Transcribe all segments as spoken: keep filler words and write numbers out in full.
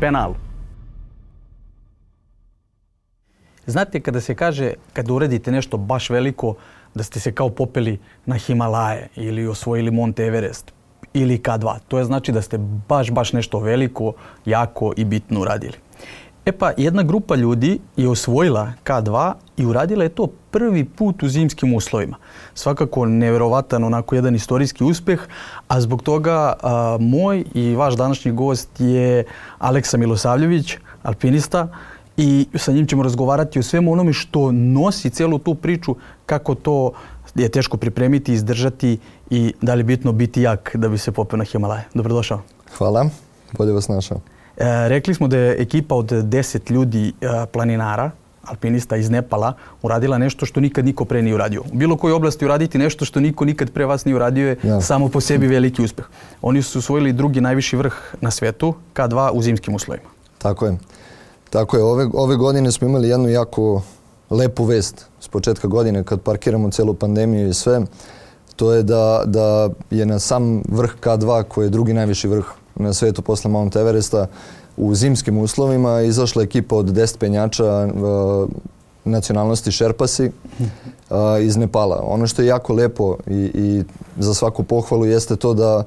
penalu. Znate, kada se kaže, kada uradite nešto baš veliko, da ste se kao popeli na Himalaje ili osvojili Monte Everest ili K dva. To je znači da ste baš, baš nešto veliko, jako i bitno uradili. E pa, jedna grupa ljudi je osvojila K dva i uradila je to prvi put u zimskim uslovima. Svakako nevjerovatan onako jedan istorijski uspeh, a zbog toga a, moj i vaš današnji gost je Aleksa Milosavljević, alpinista, i sa njim ćemo razgovarati o svemu onome što nosi celu tu priču, kako to je teško pripremiti, izdržati i da li je bitno biti jak da bi se popeo na Himalaje. Dobrodošao. Hvala, bolje vas našao. E, rekli smo da je ekipa od deset ljudi e, planinara, alpinista iz Nepala, uradila nešto što nikad niko pre nije uradio. U bilo kojoj oblasti uraditi nešto što niko nikad pre vas nije uradio je ja. samo po sebi veliki uspeh. Oni su osvojili drugi najviši vrh na svetu, K dva u zimskim uslovima. Tako je. Tako je. Ove, ove godine smo imali jednu jako lepu vest s početka godine kad parkiramo celu pandemiju i sve. To je da, da je na sam vrh K dva, koji je drugi najviši vrh na svetu posle Mount Everesta, u zimskim uslovima izašla ekipa od deset penjača uh, nacionalnosti Šerpasi uh, iz Nepala. Ono što je jako lepo i, i za svaku pohvalu jeste to da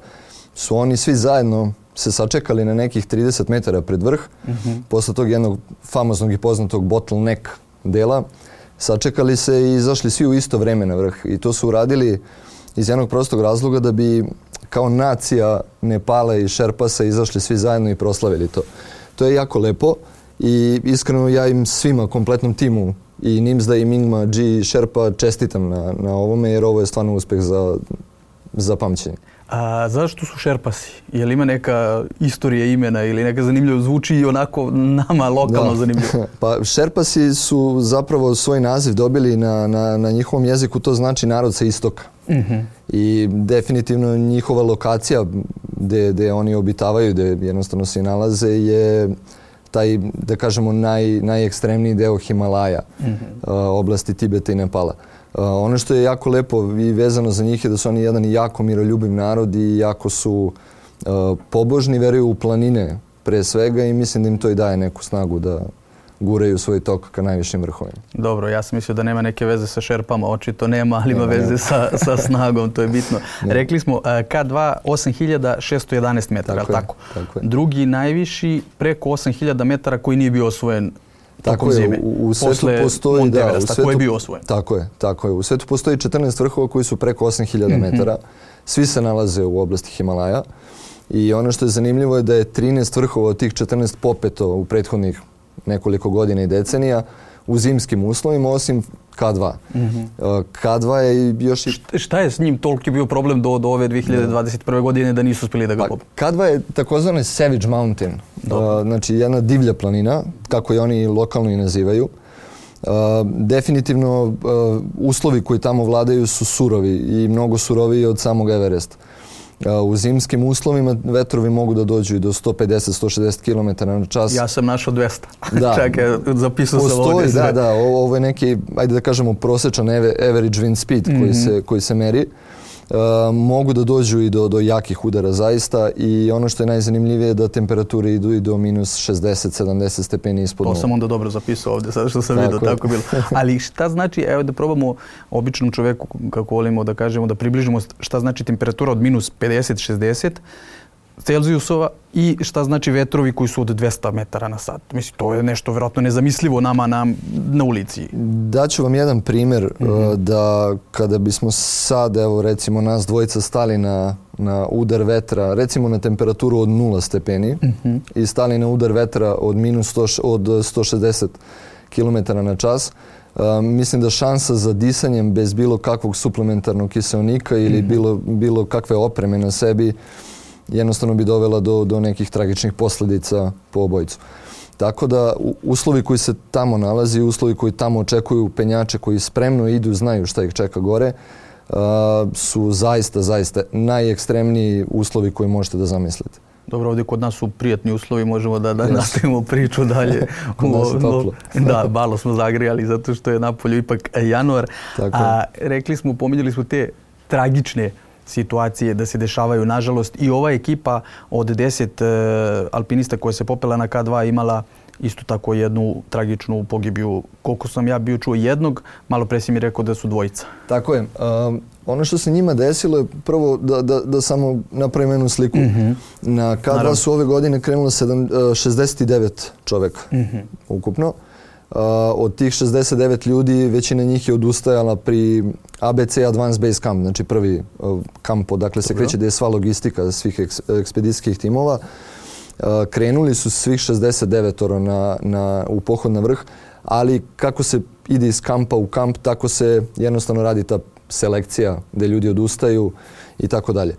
su oni svi zajedno se sačekali na nekih trideset metara pred vrh, mm-hmm. posle tog jednog famoznog i poznatog bottleneck dela. Sačekali se i izašli svi u isto vreme na vrh. I to su uradili iz jednog prostog razloga da bi kao nacija Nepala i Šerpasa izašli svi zajedno i proslavili to. To je jako lepo i iskreno ja im svima, kompletnom timu, i Nimsda i Mingma, G, Šerpa, čestitam na, na ovome, jer ovo je stvarno uspeh za, za pamćenje. A zašto su Šerpasi? Je li ima neka istorija imena ili neka zanimljivo zvuči i onako nama lokalno da. zanimljivo? Pa Šerpasi su zapravo svoj naziv dobili na, na, na njihovom jeziku, to znači narod sa istoka. Mm-hmm. I definitivno njihova lokacija gde, gde oni obitavaju, gde jednostavno se nalaze, je taj, da kažemo, naj, najekstremniji deo Himalaja, mm-hmm. uh, oblasti Tibeta i Nepala. Uh, ono što je jako lepo i vezano za njih je da su oni jedan jako miroljubiv narod i jako su uh, pobožni, veruju u planine pre svega i mislim da im to i daje neku snagu da guraju svoj tok ka najvišim vrhovima. Dobro, ja sam mislio da nema neke veze sa Šerpama, očito nema, ali ima veze sa, sa snagom, to je bitno. Ne. Rekli smo K dva osam hiljada šesto jedanaest metara, tako, tako? tako je. Drugi najviši preko osam hiljada metara koji nije bio osvojen tako je, zime. U, u svetu postoji, da, u svetu, koji je bio osvojen. Tako je, tako je. U svetu postoji četrnaest vrhova koji su preko osam hiljada metara. Svi se nalaze u oblasti Himalaja. I ono što je zanimljivo je da je trinaest vrhova od tih četrnaest popeto u prethodnih nekoliko godina i decenija u zimskim uslovima, osim K dva. Mm-hmm. K dva je još... I... Šta, šta je s njim toliki bio problem do, do ove dvije hiljade dvadeset prve. godine da nisu uspjeli da ga pope? Pa, K dva je takozvani Savage Mountain. Uh, znači jedna divlja planina, kako je oni lokalno i nazivaju. Uh, definitivno uh, uslovi koji tamo vladaju su surovi i mnogo suroviji od samog Everesta. Uh, u zimskim uslovima vetrovi mogu da dođu i do sto pedeset do sto šezdeset kilometara na čas. Ja sam našao dvesta. Da. Čekaj, zapisao sam ovdje. Da, da, ovo je neki, ajde da kažemo, prosječan average wind speed mm-hmm. koji, se, koji se meri. Uh, mogu da dođu i do, do jakih udara zaista i ono što je najzanimljivije je da temperature idu i do minus šezdeset do sedamdeset stepeni ispod nule. To sam onda dobro zapisao ovdje, sad što sam vidio, tako bilo. Ali šta znači, evo da probamo običnom čovjeku, kako volimo da kažemo, da približimo šta znači temperatura od minus pedeset do šezdeset Celzijusova i šta znači vetrovi koji su od dvesta metara na sat. Mislim, to je nešto vjerojatno nezamislivo nama na, na ulici. Daću vam jedan primjer mm-hmm. da kada bismo sad, evo recimo nas dvojica stali na, na udar vetra, recimo na temperaturu od nula stepeni mm-hmm. i stali na udar vetra od minus sto, od sto šezdeset kilometara na čas, Uh, mislim da šansa za disanjem bez bilo kakvog suplementarnog kiseonika ili mm-hmm. bilo, bilo kakve opreme na sebi jednostavno bi dovela do, do nekih tragičnih posljedica po obojicu. Tako da uslovi koji se tamo nalazi, uslovi koji tamo očekuju penjače koji spremno idu, znaju šta ih čeka gore, uh, su zaista, zaista najekstremniji uslovi koji možete da zamislite. Dobro, ovdje kod nas su prijatni uslovi, možemo da, da nastavimo priču dalje. Kod nas je toplo. Da, malo smo zagrijali zato što je napolju ipak januar. Tako. A rekli smo, pominjali smo te tragične situacije da se dešavaju. Nažalost, i ova ekipa od deset uh, alpinista koja se popela na K dva imala isto tako jednu tragičnu pogibiju. Koliko sam ja bio čuo jednog, malo pre si mi rekao da su dvojica. Tako je. Um, ono što se njima desilo je prvo da, da, da samo napravim jednu sliku. Mm-hmm. Na K dva Naravno. Su ove godine krenulo sedam, šezdeset devet čoveka mm-hmm. ukupno. Uh, od tih šezdeset devet ljudi većina njih je odustajala pri A B C Advanced Base Camp, znači prvi uh, kamp odakle se kreće gdje je sva logistika svih eks, ekspedicijskih timova. Uh, krenuli su svih šezdeset devet na, na, u pohod na vrh, ali kako se ide iz kampa u kamp, tako se jednostavno radi ta selekcija gdje ljudi odustaju i tako dalje.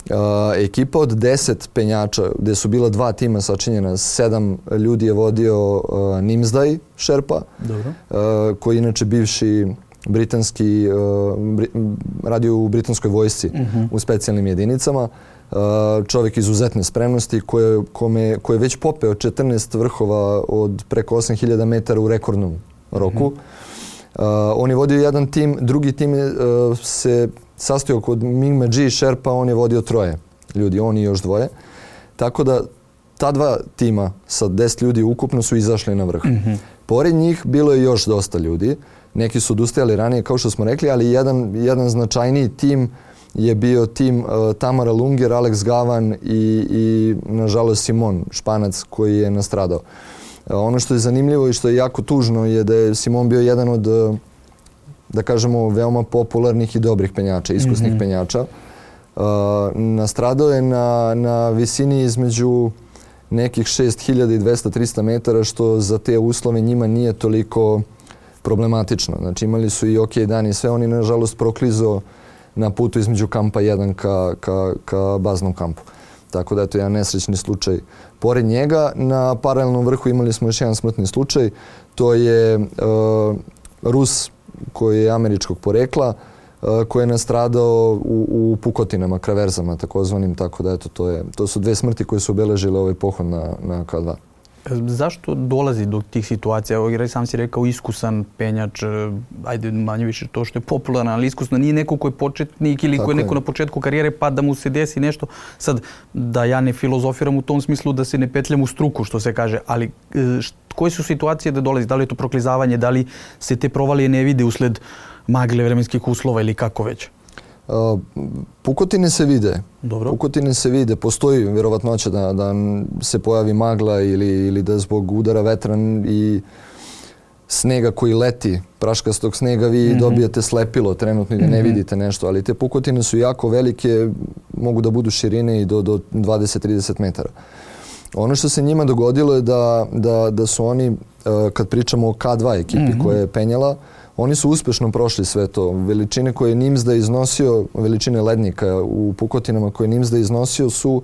Uh, ekipa od deset penjača, gdje su bila dva tima sačinjena, sedam ljudi je vodio uh, Nimsdai Sherpa, uh, koji je inače bivši britanski, uh, bri, radio u britanskoj vojsci uh-huh. u specijalnim jedinicama. Uh, čovjek izuzetne spremnosti koji je koje već popeo četrnaest vrhova od preko osam hiljada metara u rekordnom roku. Uh-huh. Uh, on je vodio jedan tim, drugi tim je, uh, se sastojao kod Mingma G Sherpa, on je vodio troje ljudi, on i još dvoje. Tako da ta dva tima sa deset ljudi ukupno su izašli na vrh. Mm-hmm. Pored njih bilo je još dosta ljudi. Neki su odustajali ranije, kao što smo rekli, ali jedan, jedan značajniji tim je bio tim uh, Tamara Lunger, Alex Gavan i, i nažalost Simon, Španac, koji je nastradao. Uh, ono što je zanimljivo i što je jako tužno je da je Simon bio jedan od uh, da kažemo, veoma popularnih i dobrih penjača, iskusnih mm-hmm. penjača. Uh, nastradao je na, na visini između nekih šest hiljada dvesta do trista metara, što za te uslove njima nije toliko problematično. Znači imali su i ok dan i sve, oni nažalost proklizo na putu između kampa jedan ka, ka, ka baznom kampu. Tako da je to jedan nesrećni slučaj. Pored njega, na paralelnom vrhu imali smo još jedan smrtni slučaj. To je uh, Rus koji je američkog porekla, uh, koji je nastradao u, u pukotinama, kraverzama takozvanim, tako da eto, to, je, to su dve smrti koje su obeležile ovaj pohod na, na K dva. Zašto dolazi do tih situacija? Evo, sam si rekao iskusan penjač, ajde manje više to što je popularno, ali iskusno nije neko ko je početnik ili ko je neko na početku karijere pa da mu se desi nešto. Sad, da ja ne filozofiram u tom smislu da se ne petljam u struku, što se kaže, ali št, koje su situacije da dolazi? Da li je to proklizavanje, da li se te provalije ne vide usled magle vremenskih uslova ili kako već? Uh, pukotine se vide. Dobro. Pukotine se vide. Postoji vjerovatnoća da, da se pojavi magla ili, ili da zbog udara vetra i snega koji leti, praškastog snega, vi mm-hmm. dobijete slepilo trenutno i da ne mm-hmm. vidite nešto. Ali te pukotine su jako velike, mogu da budu širine i do, do dvadeset do trideset metara. Ono što se njima dogodilo je da, da, da su oni, uh, kad pričamo o K dva ekipi mm-hmm. koja je penjala, oni su uspješno prošli sve to. Veličine koje je Nimsdai iznosio, veličine lednika u pukotinama koje je Nimsdai iznosio su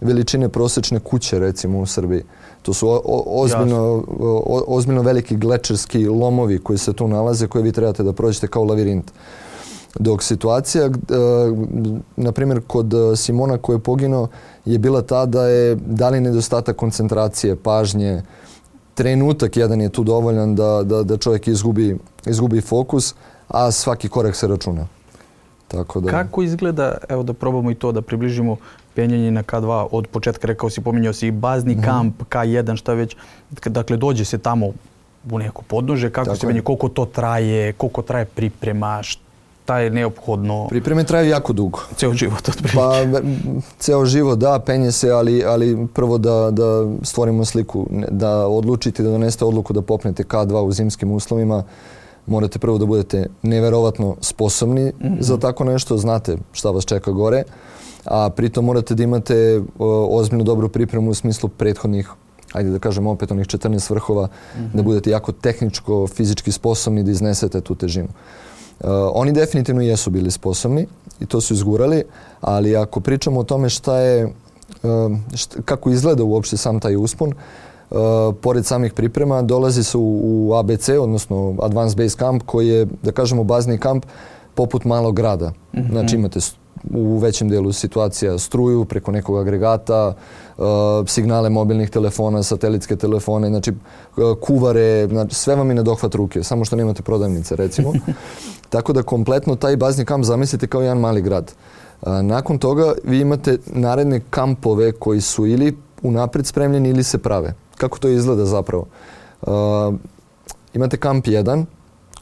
veličine prosječne kuće, recimo, u Srbiji. To su o, o, ozbiljno, o, ozbiljno veliki glečerski lomovi koji se tu nalaze, koje vi trebate da prođete kao lavirint. Dok situacija, e, na primjer, kod Simona koji je poginuo, je bila ta da je da li nedostatak koncentracije, pažnje, trenutak jedan je tu dovoljan da, da, da čovjek izgubi, izgubi fokus, a svaki korak se računa. Tako da... Kako izgleda, evo da probamo i to da približimo penjanje na K dva od početka, rekao si, pominjao si bazni mm-hmm. kamp, K jedan, šta već, dakle dođe se tamo u neko podnože, kako Tako se penje, koliko to traje, koliko traje priprema, šta je neophodno? Pripreme traju jako dugo. Ceo život otprilike. Pa, ceo život, da, penje se, ali, ali prvo da, da stvorimo sliku, da odlučite da donesete odluku da popnete K dva u zimskim uslovima, morate prvo da budete neverovatno sposobni mm-hmm. za tako nešto, znate šta vas čeka gore, a pritom morate da imate o, ozbiljno dobru pripremu u smislu prethodnih, ajde da kažem opet onih četrnaest vrhova, mm-hmm. da budete jako tehničko, fizički sposobni da iznesete tu težinu. Uh, oni definitivno jesu bili sposobni i to su izgurali, ali ako pričamo o tome šta je, uh, šta, kako izgleda uopšte sam taj uspon, uh, pored samih priprema dolazi se u, u A B C, odnosno Advanced Base Camp, koji je, da kažemo, bazni kamp poput malog grada. Mm-hmm. Znači imate u većem dijelu situacija struju preko nekog agregata, uh, signale mobilnih telefona, satelitske telefone, znači uh, kuvare, znači sve vam je na dohvat ruke, samo što nemate prodavnice, recimo. Tako da kompletno taj bazni kamp zamislite kao jedan mali grad. A, nakon toga vi imate naredne kampove koji su ili unaprijed spremljeni ili se prave. Kako to izgleda zapravo? A, imate kamp jedan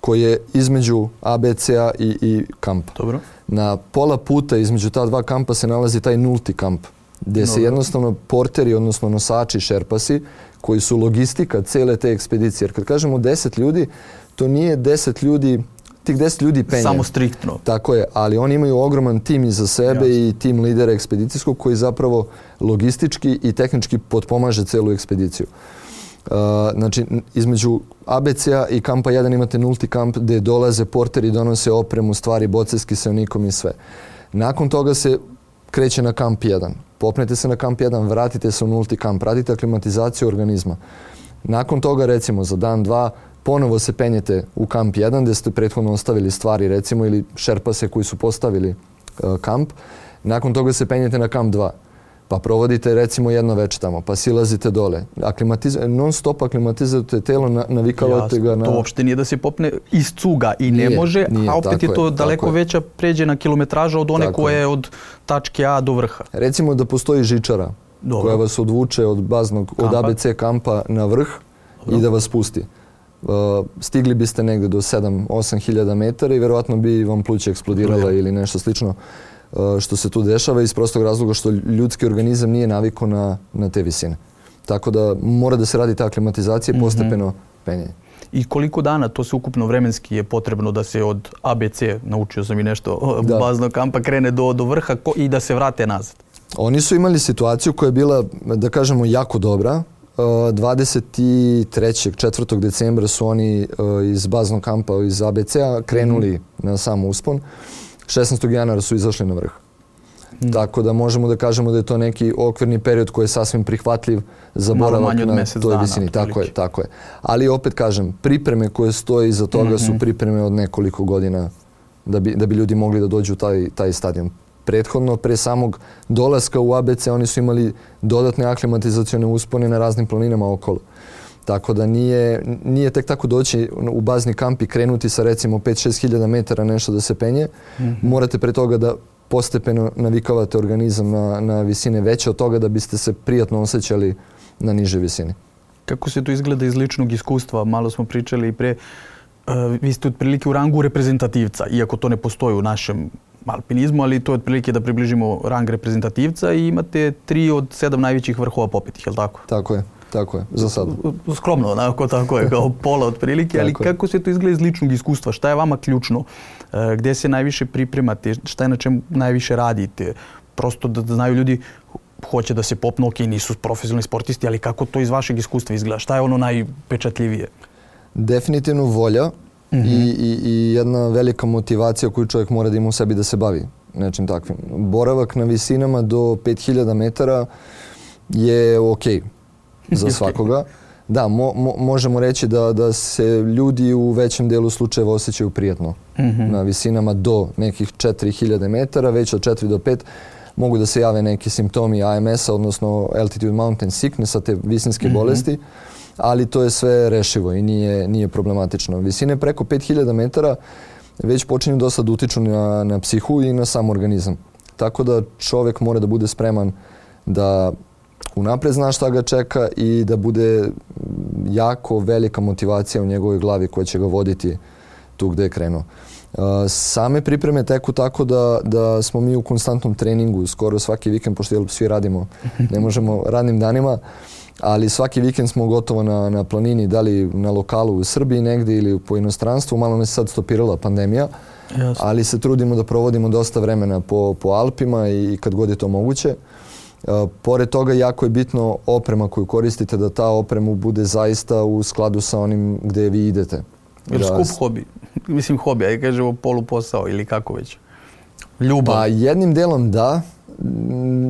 koji je između A B C-a i, i kampa. Dobro. Na pola puta između ta dva kampa se nalazi taj nulti kamp, gdje se jednostavno porteri, odnosno nosači, šerpasi, koji su logistika cele te ekspedicije. Jer kad kažemo deset ljudi, to nije deset ljudi, tih deset ljudi penje. Samo striktno. Tako je, ali oni imaju ogroman tim iza sebe. Jasne. I tim lidera ekspedicijskog koji zapravo logistički i tehnički potpomaže celu ekspediciju. Uh, znači, između A B C-a i kampa jedan imate nulti kamp gdje dolaze porteri, donose opremu, stvari, boce s kiselnikom i sve. Nakon toga se kreće na kamp jedan. Popnete se na kamp jedan, vratite se u nulti kamp, radite aklimatizaciju organizma. Nakon toga, recimo, za dan, dva, ponovo se penjete u kamp jedan gdje ste prethodno ostavili stvari, recimo, ili šerpase koji su postavili uh, kamp. Nakon toga se penjete na kamp dva. Pa provodite recimo jedno večer tamo, pa silazite dole. Aklimatiz- non stop aklimatizujete telo, na, navikavate Jasno, ga na... To uopšte nije da se popne iz cuga i nije, ne može, nije, a opet je to je, daleko veća pređena kilometraža od one tako koje je od tačke A do vrha. Recimo da postoji žičara. Dobro. Koja vas odvuče od baznog, kampa. Od A B C kampa na vrh. Dobro. I da vas pusti. Uh, stigli biste negdje do sedam osam hiljada metara i vjerovatno bi vam pluća eksplodirala Dobro. Ili nešto slično. Uh, što se tu dešava iz prostog razloga što ljudski organizam nije navikao na, na te visine. Tako da mora da se radi ta aklimatizacija i mm-hmm. postepeno penjenje. I koliko dana to se ukupno vremenski je potrebno da se od A B C, naučio sam i nešto, da. baznog kampa krene do, do vrha ko, i da se vrate nazad? Oni su imali situaciju koja je bila, da kažemo, jako dobra. Uh, dvadeset trećeg četvrtog decembra su oni uh, iz baznog kampa iz A B C-a krenuli mm-hmm. na sam uspon. šesnaestog januara su izašli na vrh. Mm. Tako da možemo da kažemo da je to neki okvirni period koji je sasvim prihvatljiv za boravak na toj visini. Tako je, tako je. Ali opet kažem, pripreme koje stoje iza toga mm-hmm. su pripreme od nekoliko godina da bi, da bi ljudi mogli da dođu u taj, taj stadion. Prethodno, pre samog dolaska u A B C, oni su imali dodatne aklimatizacione uspone na raznim planinama okolo. Tako da nije, nije tek tako doći u bazni kamp i krenuti sa recimo pet šest hiljada metara nešto da se penje. Mm-hmm. Morate pre toga da postepeno navikavate organizam na, na visine veće od toga da biste se prijatno osjećali na niže visine. Kako se to izgleda iz ličnog iskustva? Malo smo pričali i pre. Uh, vi ste otprilike u rangu reprezentativca, iako to ne postoji u našem alpinizmu, ali to je otprilike da približimo rang reprezentativca i imate tri od sedam najvećih vrhova popetih, je li tako? Tako je. Tako je, za sad. Skromno, onako tako je, kao pola otprilike, ali kako se to izgleda iz ličnog iskustva? Šta je vama ključno? E, gdje se najviše pripremate? Šta je na čemu najviše radite? Prosto da, da znaju ljudi, hoće da se popnu, ok, nisu profesionalni sportisti, ali kako to iz vašeg iskustva izgleda? Šta je ono najpečatljivije? Definitivno volja mm-hmm. i, i, i jedna velika motivacija koju čovjek mora da ima u sebi da se bavi nečim takvim. Boravak na visinama do pet hiljada metara je ok za svakoga. Da, mo, mo, možemo reći da, da se ljudi u većem delu slučajeva osjećaju prijatno. Mm-hmm. Na visinama do nekih četiri hiljade metara, već od četiri do pet mogu da se jave neki simptomi A M S-a, odnosno Altitude Mountain Sickness-a, te visinske mm-hmm. bolesti, ali to je sve rešivo i nije, nije problematično. Visine preko pet hiljada metara već počinju dosta da utiču na, na psihu i na sam organizam. Tako da čovjek mora da bude spreman da unapred zna šta ga čeka i da bude jako velika motivacija u njegovoj glavi koja će ga voditi tu gdje je krenuo. Uh, same pripreme teku tako da, da smo mi u konstantnom treningu skoro svaki vikend, pošto jel, svi radimo, ne možemo radnim danima, ali svaki vikend smo gotovo na, na planini, da li na lokalu u Srbiji negdje ili po inostranstvu. Malo nas je sad stopirala pandemija, Jasne. ali se trudimo da provodimo dosta vremena po, po Alpima i kad god je to moguće. Uh, pored toga jako je bitno oprema koju koristite, da ta oprema bude zaista u skladu sa onim gdje vi idete. Jer skup hobi, mislim hobi, ajde kažemo poluposao ili kako već? Ljubav? Pa jednim delom da,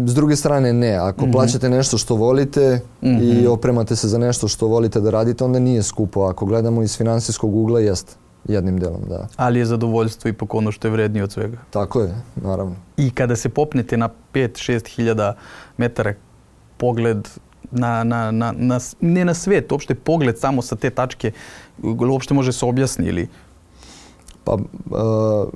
s druge strane ne. Ako mm-hmm. plaćate nešto što volite mm-hmm. i opremate se za nešto što volite da radite, onda nije skupo. Ako gledamo iz finansijskog ugla, jest jednim delom, da. Ali je zadovoljstvo ipak ono što je vrednije od svega. Tako je, naravno. I kada se popnete na pet šest hiljada metara, pogled na, na, na, na, ne na svet, uopšte pogled samo sa te tačke, uopšte može se objasni ili? Pa, uh,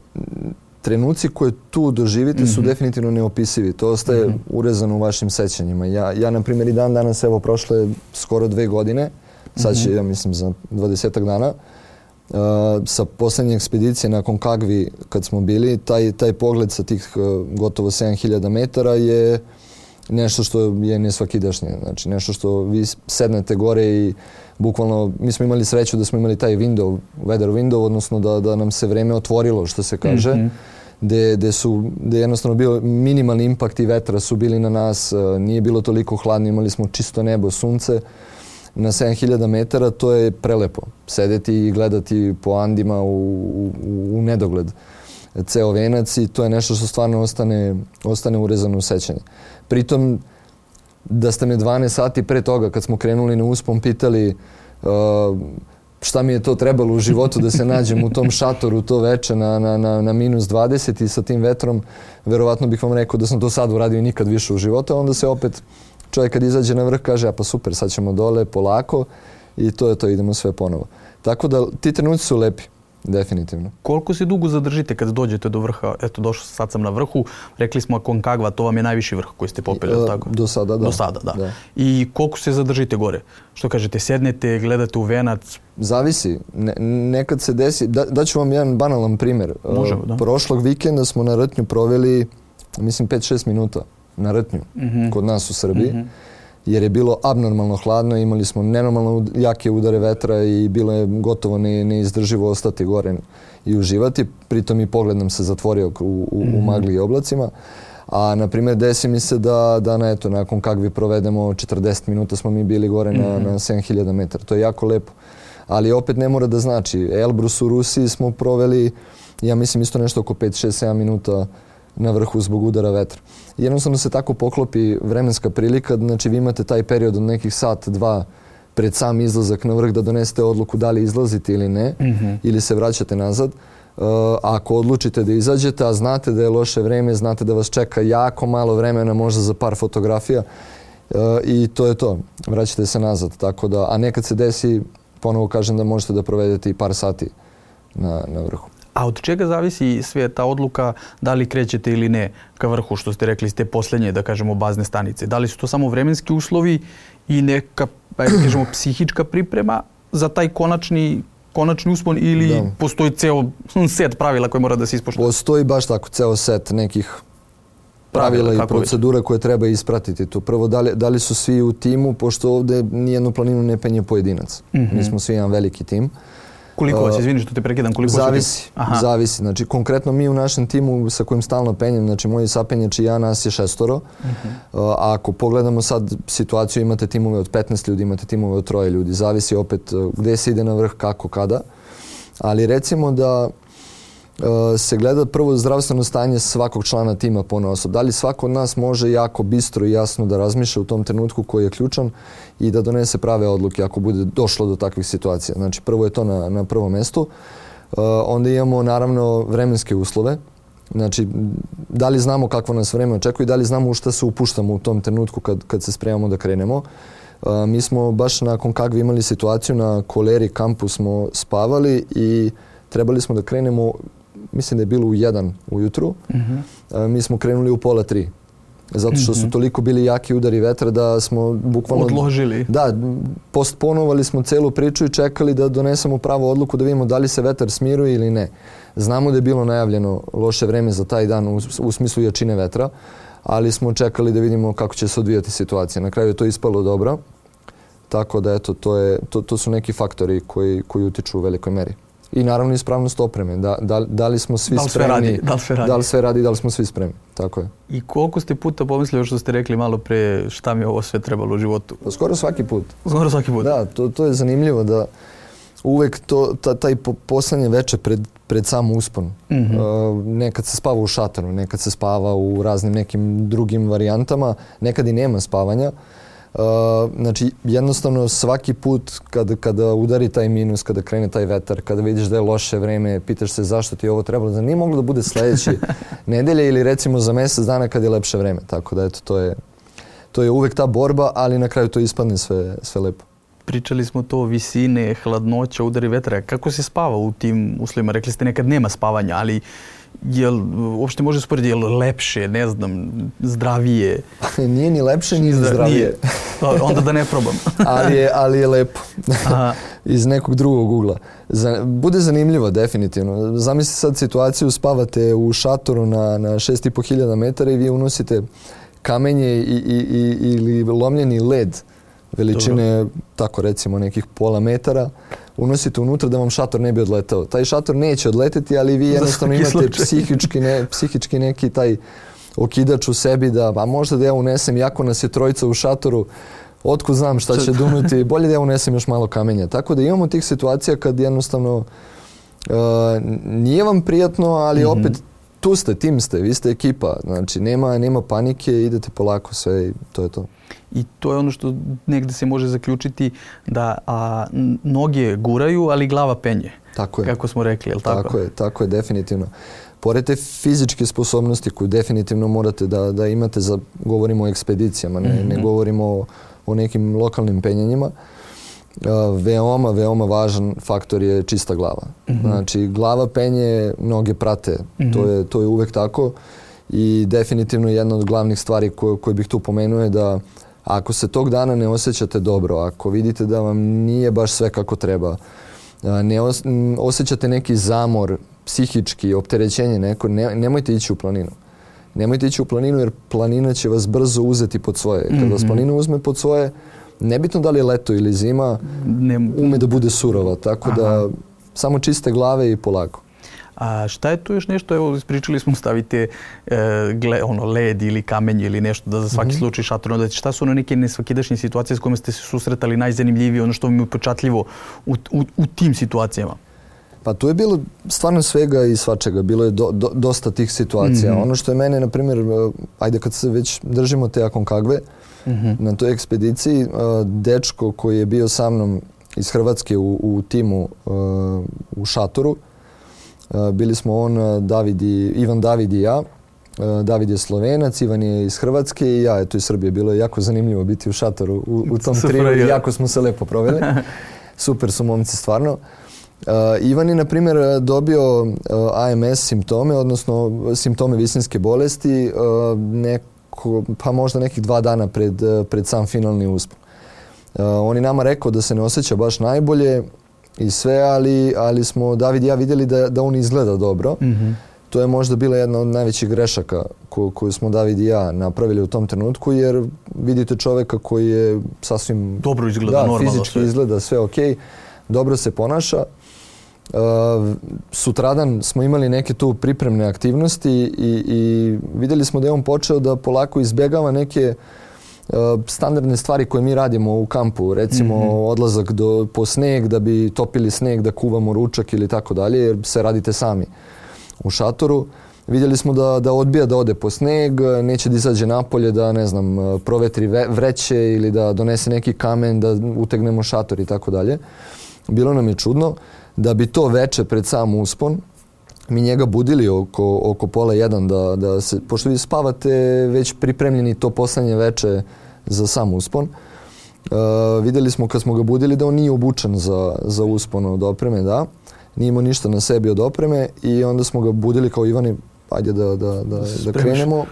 trenuci koje tu doživite su Mhm. definitivno neopisivi. To ostaje Mhm. urezano u vašim sećanjima. Ja, ja na primjer, i dan danas, evo, prošle skoro dve godine, sad će, Mhm. ja mislim, za dvadesetak dana, uh, sa posljednje ekspedicije na Konkagvi kad smo bili, taj, taj pogled sa tih uh, gotovo sedam hiljada metara je nešto što je nesvakidašnje. Znači, nešto što vi sednete gore i bukvalno, mi smo imali sreću da smo imali taj window, weather window, odnosno da, da nam se vreme otvorilo, što se kaže, Mhm. gde, gde su, gde je jednostavno bio minimalni impakt i vetra su bili na nas, uh, nije bilo toliko hladno, imali smo čisto nebo, sunce. Na sedam hiljada metara to je prelepo. Sedeti i gledati po Andima u, u, u nedogled ceo venac i to je nešto što stvarno ostane, ostane urezano u sećanje. Pritom, da ste me dvanaest sati pre toga, kad smo krenuli na uspon, pitali uh, šta mi je to trebalo u životu da se nađem u tom šatoru to veče na, na, na, na minus dvadeset i sa tim vetrom, verovatno bih vam rekao da sam to sad uradio i nikad više u životu, a onda se opet čovjek kad izađe na vrh kaže, a pa super, sad ćemo dole polako i to je to, idemo sve ponovo. Tako da ti trenuci su lepi, definitivno. Koliko se dugo zadržite kad dođete do vrha? Eto, došao, sad sam na vrhu, rekli smo Konkagva, to vam je najviši vrh koji ste popeli, E, tako? do sada, da. Do sada, da. Da. I koliko se zadržite gore? Što kažete, sednete, gledate u venac? Zavisi. Ne, nekad se desi, da, daću vam jedan banalan primjer. Može, E, da. Prošlog vikenda smo na Rtnju proveli, mislim, pet šest minuta na Rtnju, Mhm. kod nas u Srbiji. Mhm. Jer je bilo abnormalno hladno, imali smo nenormalno ud- jake udare vetra i bilo je gotovo ne, neizdrživo ostati gore i uživati. Pritom i pogled nam se zatvorio u, u, u Mhm. magli i oblacima. A, na primjer, desi mi se da, da na, eto, nakon Kagvi provedemo četrdeset minuta smo mi bili gore na, Mhm. na sedam hiljada metara. To je jako lepo. Ali opet ne mora da znači. Elbrus u Rusiji smo proveli, ja mislim, isto nešto oko pet, šest, sedam minuta na vrhu zbog udara vetra. Jednostavno se tako poklopi vremenska prilika, znači vi imate taj period od nekih sat, dva pred sam izlazak na vrh da donesete odluku da li izlazite ili ne, Mhm. ili se vraćate nazad. Uh, ako odlučite da izađete, a znate da je loše vreme, znate da vas čeka jako malo vremena, možda za par fotografija, uh, i to je to. Vraćate se nazad. Tako da, a nekad se desi, ponovo kažem da možete da provedete i par sati na, na vrhu. A od čega zavisi sve ta odluka da li krećete ili ne ka vrhu, što ste rekli, ste posljednje, da kažemo, bazne stanice? Da li su to samo vremenski uslovi i neka, ajde da kažemo, psihička priprema za taj konačni, konačni uspon ili Da. postoji ceo set pravila koje mora da se ispoštuje? Postoji baš tako ceo set nekih pravila, Pravila, i kako već. procedura koje treba ispratiti tu. Prvo, da li, da li su svi u timu, pošto ovdje nijednu planinu ne penje pojedinac. Mhm. Mi smo svi jedan veliki tim. Koliko vas, Uh, izvini što te prekidam, koliko vas je Zavisi, tim? Aha. zavisi. Znači, konkretno mi u našem timu sa kojim stalno penjem, znači moji sapenjači i ja, nas je šestoro. Mhm. Uh, a ako pogledamo sad situaciju, imate timove od petnaest ljudi, imate timove od troje ljudi. Zavisi opet uh, gdje se ide na vrh, kako, kada. Ali recimo da uh, se gleda prvo zdravstveno stanje svakog člana tima ponaosob. Da li svako od nas može jako bistro i jasno da razmišlja u tom trenutku koji je ključan i da donese prave odluke ako bude došlo do takvih situacija. Znači, prvo je to na, na prvom mjestu. Uh, onda imamo naravno vremenske uslove. Znači, da li znamo kakvo nas vreme očekuje i da li znamo u šta se upuštamo u tom trenutku kad, kad se spremamo da krenemo. Uh, mi smo baš nakon Kagvi imali situaciju na Koleri kampu smo spavali i trebali smo da krenemo, mislim da je bilo u jedan ujutru. Mhm. Uh, mi smo krenuli u pola tri. Zato što su Mhm. toliko bili jaki udari vetra da smo bukvalno... Odložili. Da, postponovali smo celu priču i čekali da donesemo pravu odluku da vidimo da li se vetar smiruje ili ne. Znamo da je bilo najavljeno loše vreme za taj dan u, u smislu jačine vetra, ali smo čekali da vidimo kako će se odvijati situacija. Na kraju je to ispalo dobro, tako da eto, to, je, to, to su neki faktori koji, koji utiču u velikoj meri. I naravno ispravnost opreme. Da, da, da li smo svi Da li sve spremni? radi, da li sve radi. Da li sve radi, da li smo svi spremni. Tako je. I koliko ste puta pomislili što ste rekli malo pre šta mi je ovo sve trebalo u životu? Pa skoro svaki put. Skoro svaki put. Da, to, to je zanimljivo da uvek to, ta, taj po, poslednje veče pred, pred sam uspon. Mhm. Uh, nekad se spava u šatoru, nekad se spava u raznim nekim drugim varijantama, nekad i nema spavanja. Uh, znači, jednostavno svaki put kada, kada udari taj minus, kada krene taj vetar, kada vidiš da je loše vreme, pitaš se zašto ti je ovo trebalo, da nije moglo da bude sledeći nedelje ili recimo za mjesec dana kad je lepše vreme. Tako da eto, to je, to je uvek ta borba, ali na kraju to ispadne sve, sve lepo. Pričali smo to, visine, hladnoća, udari vetra. Kako se spava u tim uslovima? Rekli ste nekad nema spavanja, ali Jel uopšte može sporediti, jel lepše, ne znam, zdravije? Nije ni lepše, ni zdravije. Onda da ne probam. ali, je, ali je lepo. Iz nekog drugog ugla. Za, bude zanimljivo, definitivno. Zamislite sad situaciju, spavate u šatoru na, na šest i po hiljada metara i vi unosite kamenje i, i, i, ili lomljeni led veličine, dobro, tako recimo nekih pola metara, unosite unutra da vam šator ne bi odletao. Taj šator neće odleteti, ali vi jednostavno imate psihički, ne, psihički neki taj okidač u sebi da, a možda da ja unesem, jako nas je trojica u šatoru, otkud znam šta će dunuti, bolje da ja unesem još malo kamenja. Tako da imamo tih situacija kad jednostavno uh, nije vam prijatno, ali mm-hmm. opet tu ste, tim ste, vi ste ekipa. Znači nema, nema panike, idete polako sve i to je to. I to je ono što negde se može zaključiti da a, noge guraju, ali glava penje. Tako je. Kako smo rekli, je li tako? Tako je, tako je, definitivno. Pored te fizičke sposobnosti koju definitivno morate da, da imate, za, govorimo o ekspedicijama, ne, mm-hmm. ne govorimo o, o nekim lokalnim penjanjima, uh, veoma, veoma važan faktor je čista glava. Mm-hmm. Znači, glava penje, noge prate. Mm-hmm. To je, to je uvek tako. I definitivno jedna od glavnih stvari koje, koje bih tu pomenuo je da ako se tog dana ne osjećate dobro, ako vidite da vam nije baš sve kako treba, ne os, osjećate neki zamor, psihički, opterećenje neko, ne, nemojte ići u planinu. Nemojte ići u planinu jer planina će vas brzo uzeti pod svoje. Kad vas planina uzme pod svoje, nebitno da li je leto ili zima, ume da bude surova. Tako Aha. da samo čiste glave i polako. A šta je tu još nešto, evo ispričali smo stavite e, gle, ono, led ili kamenje ili nešto da za svaki mm-hmm. slučaj šator odete. Šta su ono neke nesvakidašnje situacije s kojima ste se susretali najzanimljivije, ono što vam je upečatljivo u, u, u tim situacijama? Pa tu je bilo stvarno svega i svačega, bilo je do, do, dosta tih situacija. Mm-hmm. Ono što je mene, na primjer, ajde kad se već držimo te Aconcagve, mm-hmm. na toj ekspediciji, dečko koji je bio sa mnom iz Hrvatske u, u timu u šatoru, bili smo on, David i, Ivan David i ja. David je Slovenac, Ivan je iz Hrvatske i ja eto iz Srbije. Bilo je jako zanimljivo biti u šatoru u, u tom triju i jako smo se lepo proveli. Super su momci stvarno. Uh, Ivan je, na primjer, dobio uh, A M S simptome, odnosno simptome visinske bolesti, uh, neko, pa možda nekih dva dana pred, uh, pred sam finalni uspon. Uh, on je nama rekao da se ne osjeća baš najbolje i sve, ali, ali smo David i ja vidjeli da, da on izgleda dobro. Mm-hmm. To je možda bila jedna od najvećih grešaka ko, koju smo David i ja napravili u tom trenutku, jer vidite čovjeka koji je sasvim... Dobro izgleda, da, normalno. Fizički sve. Izgleda sve ok, dobro se ponaša. Uh, sutradan smo imali neke tu pripremne aktivnosti i, i vidjeli smo da je on počeo da polako izbjegava neke uh, standardne stvari koje mi radimo u kampu. Recimo mm-hmm. odlazak do, po sneg da bi topili sneg, da kuvamo ručak ili tako dalje, jer se radite sami u šatoru. Vidjeli smo da, da odbija da ode po sneg, neće da izađe napolje, da ne znam, provetri vreće ili da donese neki kamen, da utegnemo šator i tako dalje. Bilo nam je čudno. Da bi to veče pred sam uspon, mi njega budili oko, oko pola jedan, da, da se, pošto vi spavate već pripremljeni to poslednje veče za sam uspon. Uh, vidjeli smo kad smo ga budili da on nije obučen za, za uspon od opreme, da. Nije imao ništa na sebi od opreme i onda smo ga budili kao Ivani, ajde da, da, da, da krenemo.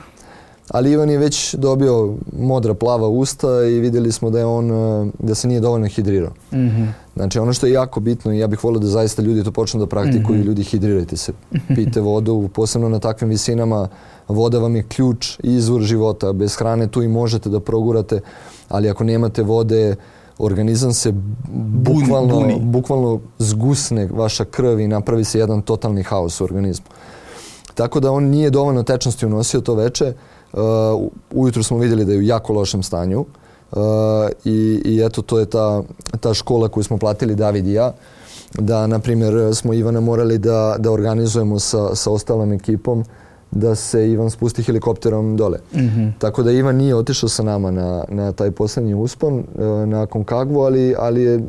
Ali Ivan je već dobio modra plava usta i vidjeli smo da je on, da se nije dovoljno hidrirao. Mm-hmm. Znači ono što je jako bitno i ja bih volio da zaista ljudi to počnu da praktikuju, mm-hmm. ljudi hidrirajte se, pijte vodu, posebno na takvim visinama, voda vam je ključ i izvor života, bez hrane tu i možete da progurate, ali ako nemate vode, organizam se bukvalno, bukvalno zgusne vaša krv i napravi se jedan totalni haos u organizmu. Tako da on nije dovoljno tečnosti unosio to veče. Uh, ujutro smo vidjeli da je u jako lošem stanju uh, i, i eto to je ta, ta škola koju smo platili David i ja, da na primjer smo Ivana morali da, da organizujemo sa, sa ostalom ekipom da se Ivan spusti helikopterom dole. Mm-hmm. Tako da Ivan nije otišao sa nama na, na taj posljednji uspon uh, na Aconcagvu, ali, ali je uh,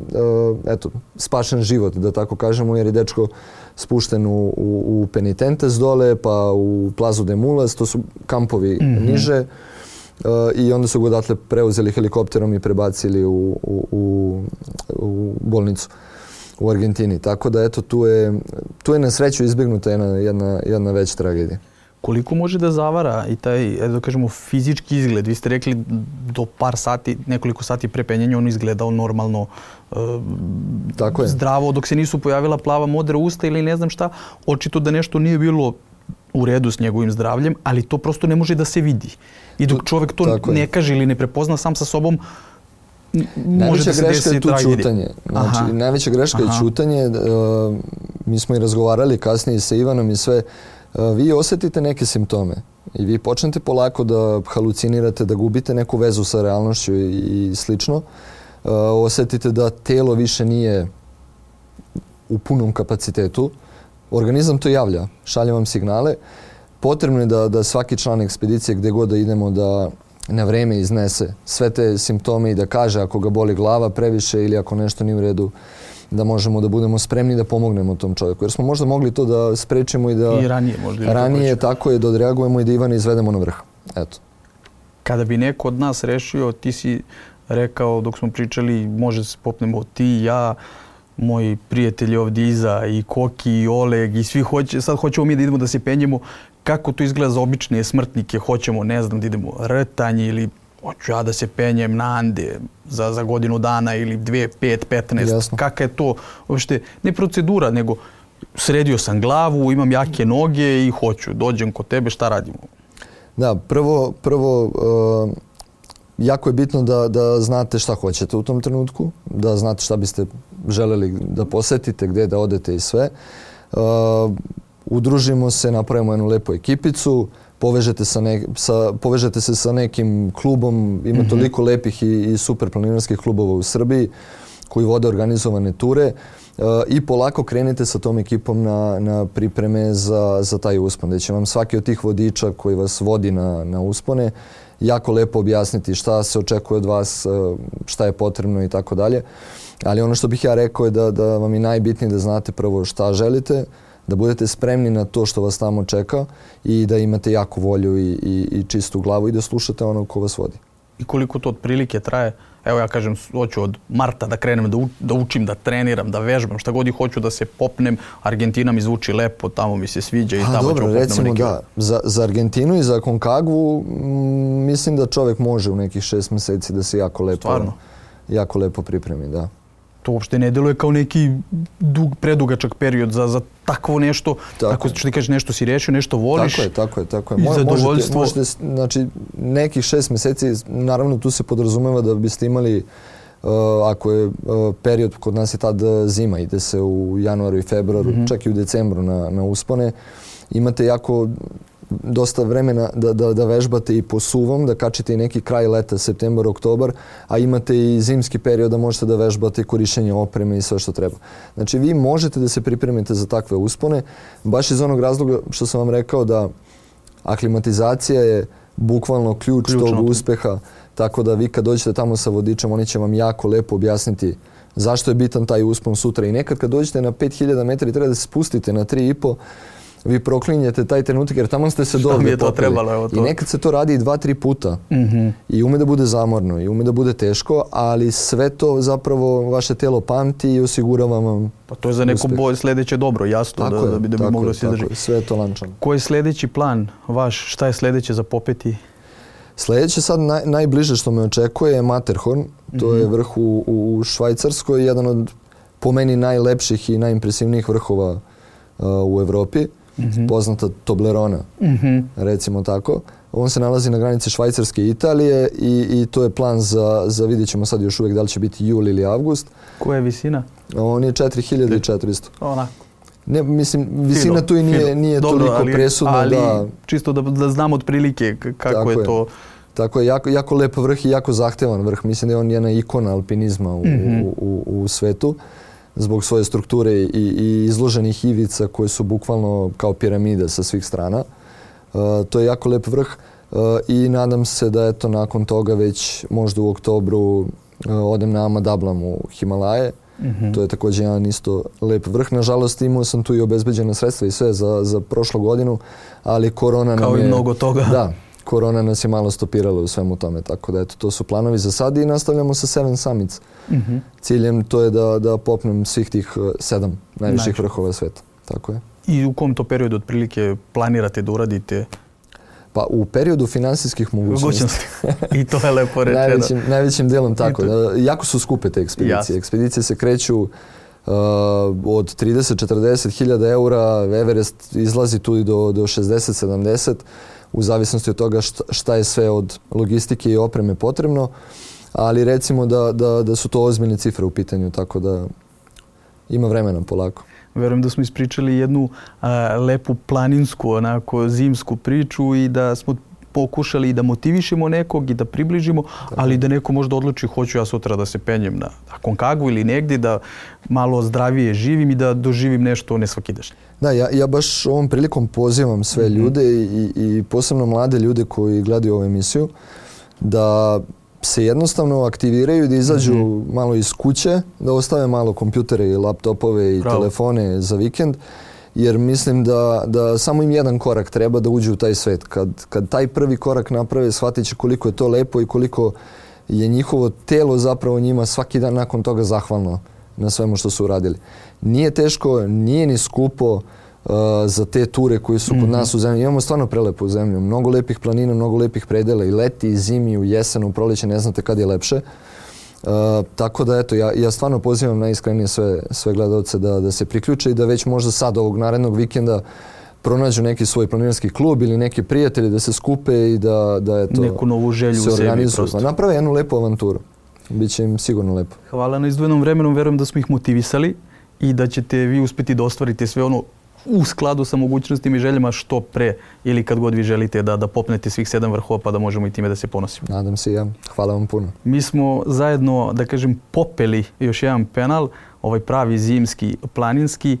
eto, spašen život, da tako kažemo, jer je dečko spušten u, u, u Penitentes dole, pa u Plazu de Mulas, to su kampovi mm-hmm. niže. Uh, I onda su ga odatle preuzeli helikopterom i prebacili u, u, u, u bolnicu u Argentini. Tako da eto, tu je, tu je na sreću izbjegnuta jedna, jedna, jedna veća tragedija. Koliko može da zavara i taj, da kažemo, fizički izgled? Vi ste rekli do par sati, nekoliko sati pre penjenja on izgledao normalno, e, Tako je. zdravo, dok se nisu pojavila plava modra usta ili ne znam šta. Očito da nešto nije bilo u redu s njegovim zdravljem, ali to prosto ne može da se vidi. I dok čovjek to Tako ne je. kaže ili ne prepozna sam sa sobom, može Najveća da se greška desi je tu tragedija. ćutanje. Znači, Aha. najveća greška Aha. je ćutanje. Uh, mi smo i razgovarali kasnije sa Ivanom i sve. Uh, vi osjetite neke simptome i vi počnete polako da halucinirate, da gubite neku vezu sa realnošću i, i slično. Uh, osjetite da telo više nije u punom kapacitetu. Organizam to javlja, šalje vam signale. Potrebno je da, da svaki član ekspedicije gdje god da idemo da na vreme iznese sve te simptome i da kaže ako ga boli glava previše ili ako nešto nije u redu, da možemo da budemo spremni da pomognemo tom čovjeku. Jer smo možda mogli to da sprečimo i da I ranije možda. ili ranije kako tako je da odreagujemo i da Ivana izvedemo na vrh. Eto. Kada bi neko od nas rešio, ti si rekao dok smo pričali, može da se popnemo ti, ja, moji prijatelji ovdje iza, i Koki, i Oleg, i svi hoće, sad hoćemo mi da idemo da se penjemo. Kako to izgleda za obične smrtnike? Hoćemo, ne znam, da idemo rtanje ili hoću ja da se penjem na Ande za, za godinu dana ili dvije, pet, petnaest. Jasno. Kaka je to uopšte, ne procedura, nego sredio sam glavu, imam jake noge i hoću, dođem kod tebe, šta radimo? Da, prvo, prvo uh, jako je bitno da, da znate šta hoćete u tom trenutku, da znate šta biste želeli da posjetite, gdje da odete i sve. Uh, udružimo se, napravimo jednu lepu ekipicu, povežete, sa ne, sa, povežete se sa nekim klubom, ima mm-hmm. toliko lepih i, i super planinarskih klubova u Srbiji koji vode organizovane ture uh, i polako krenete sa tom ekipom na, na pripreme za, za taj uspon, gdje će vam svaki od tih vodiča koji vas vodi na, na uspone jako lepo objasniti šta se očekuje od vas, šta je potrebno i tako dalje. Ali ono što bih ja rekao je da, da vam je najbitnije da znate prvo šta želite, da budete spremni na to što vas tamo čeka i da imate jaku volju i, i, i čistu glavu i da slušate onog ko vas vodi. I koliko to otprilike traje? Evo ja kažem, hoću od marta da krenem da, u, da učim, da treniram, da vežbam, šta god i hoću da se popnem. Argentina mi zvuči lepo, tamo mi se sviđa i A, tamo dobro, ću recimo neki... da, za, za Argentinu i za Konkagvu m, mislim da čovjek može u nekih šest mjeseci da se jako lepo, Stvarno? jako lepo pripremi, da. To uopšte ne deluje kao neki dug, predugačak period za, za takvo nešto. Tako, tako što ti kažeš, nešto si rešio, nešto voliš. Tako je, tako je, tako je. I Mo, zadovoljstvo. Možete, možete, znači, nekih šest mjeseci, naravno tu se podrazumeva da biste imali, uh, ako je uh, period, kod nas je tad zima, ide se u januaru i februaru, mm-hmm. čak i u decembru na, na uspone, imate jako dosta vremena da, da, da vežbate i po suvom, da kačite i neki kraj leta, septembar, oktobar, a imate i zimski period da možete da vežbate korištenje opreme i sve što treba. Znači vi možete da se pripremite za takve uspone, baš iz onog razloga što sam vam rekao da aklimatizacija je bukvalno ključ Ključno. tog uspeha, tako da vi kad dođete tamo sa vodičem, oni će vam jako lepo objasniti zašto je bitan taj uspon sutra. I nekad kad dođete na pet hiljada metara i treba da se spustite na tri i po, vi proklinjete taj trenutak jer tamo ste se dobro popeli. to trebalo, evo to. I nekad se to radi i dva, tri puta. Mm-hmm. I ume da bude zamorno i ume da bude teško, ali sve to zapravo vaše telo pamti i osigurava vam Pa to je za neko boj sljedeće dobro, jasno, tako da, je, da bi, da bi moglo da se izdrži. Sve je to lančano. Koji je sljedeći plan vaš? Šta je sljedeće za popeti? Sljedeće sad naj, najbliže što me očekuje je Matterhorn. To mm-hmm. je vrh u, u Švajcarskoj, jedan od po meni najlepših i najimpresivnijih vrhova uh, u Evropi. Mm-hmm. Poznata Toblerona, mm-hmm. recimo tako. On se nalazi na granici Švajcarske i Italije i, i to je plan za, za vidjet ćemo sad još uvijek da li će biti jul ili avgust. Koja je visina? On je četiri hiljade četiristo. Onako. Ne, mislim, visina Fino, tu i nije, nije Dobro, toliko ali, presudna ali da... čisto da, da znam otprilike kako tako je, je to. Tako je, jako, jako lep vrh i jako zahtevan vrh. Mislim da je on jedna ikona alpinizma u, mm-hmm. u, u, u svetu zbog svoje strukture i, i izloženih ivica koje su bukvalno kao piramide sa svih strana. Uh, to je jako lep vrh uh, i nadam se da eto nakon toga već možda u oktobru uh, odem na Ama Dablam u Himalaje. Mm-hmm. To je također jedan isto lep vrh. Nažalost imao sam tu i obezbeđena sredstva i sve za, za prošlu godinu, ali korona kao nam je... Kao i mnogo toga. Da, korona nas je malo stopirala u svemu tome, tako da eto, to su planovi za sad i nastavljamo sa Seven Summits. Mm-hmm. Ciljem to je da, da popnem svih tih sedam najviših vrhova sveta. Tako je. I u kom to periodu otprilike planirate da uradite? Pa u periodu finansijskih mogućnosti. I to je lepo rečeno. najvećim, najvećim delom tako. Da, jako su skupe te ekspedicije. Jasne. Ekspedicije se kreću uh, od trideset do četrdeset hiljada eura, Everest izlazi tu do, do šezdeset do sedamdeset, u zavisnosti od toga šta, šta je sve od logistike i opreme potrebno, ali recimo da, da, da su to ozbiljne cifre u pitanju, tako da ima vremena polako. Verujem da smo ispričali jednu a, lepu planinsku, onako zimsku priču i da smo pokušali i da motivišemo nekog i da približimo, tako, ali da neko možda odluči hoću ja sutra da se penjem na Aconcagua ili negdje, da malo zdravije živim i da doživim nešto nesvakidašnje. Da, ja, ja baš ovom prilikom pozivam sve mm-hmm. ljude i, i posebno mlade ljude koji gledaju ovu emisiju da se jednostavno aktiviraju, da izađu mm-hmm. malo iz kuće, da ostave malo kompjutere i laptopove i Bravo. telefone za vikend, jer mislim da, da samo im jedan korak treba da uđu u taj svet. Kad, kad taj prvi korak naprave, shvatit će koliko je to lepo i koliko je njihovo telo zapravo njima svaki dan nakon toga zahvalno na svemu što su uradili. Nije teško, nije ni skupo uh, za te ture koje su kod mm-hmm. nas u zemlji. Imamo stvarno prelepu zemlju, mnogo lepih planina, mnogo lepih predela i leti, i zimi, u jesenu, u proleće, ne znate kad je lepše. Uh, tako da eto, ja, ja stvarno pozivam najiskrenije sve, sve gledalce da, da se priključe i da već možda sad ovog narednog vikenda pronađu neki svoj planinarski klub ili neki prijatelji da se skupe i da, da eto, neku novu želju se organizuju. Pa naprave jednu lepu avanturu. Biće im sigurno lepo. Hvala na izdvojenom vremenu, verujem da smo ih motivisali i da ćete vi uspjeti da ostvarite sve ono u skladu sa mogućnostima i željama što pre ili kad god vi želite da, da popnete svih sedam vrhova pa da možemo i time da se ponosimo. Nadam se i ja. Hvala vam puno. Mi smo zajedno, da kažem, popeli još jedan penal, ovaj pravi zimski, planinski.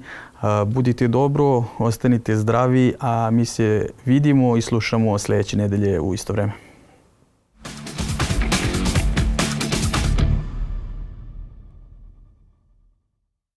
Budite dobro, ostanite zdravi, a mi se vidimo i slušamo sljedeće nedelje u isto vreme.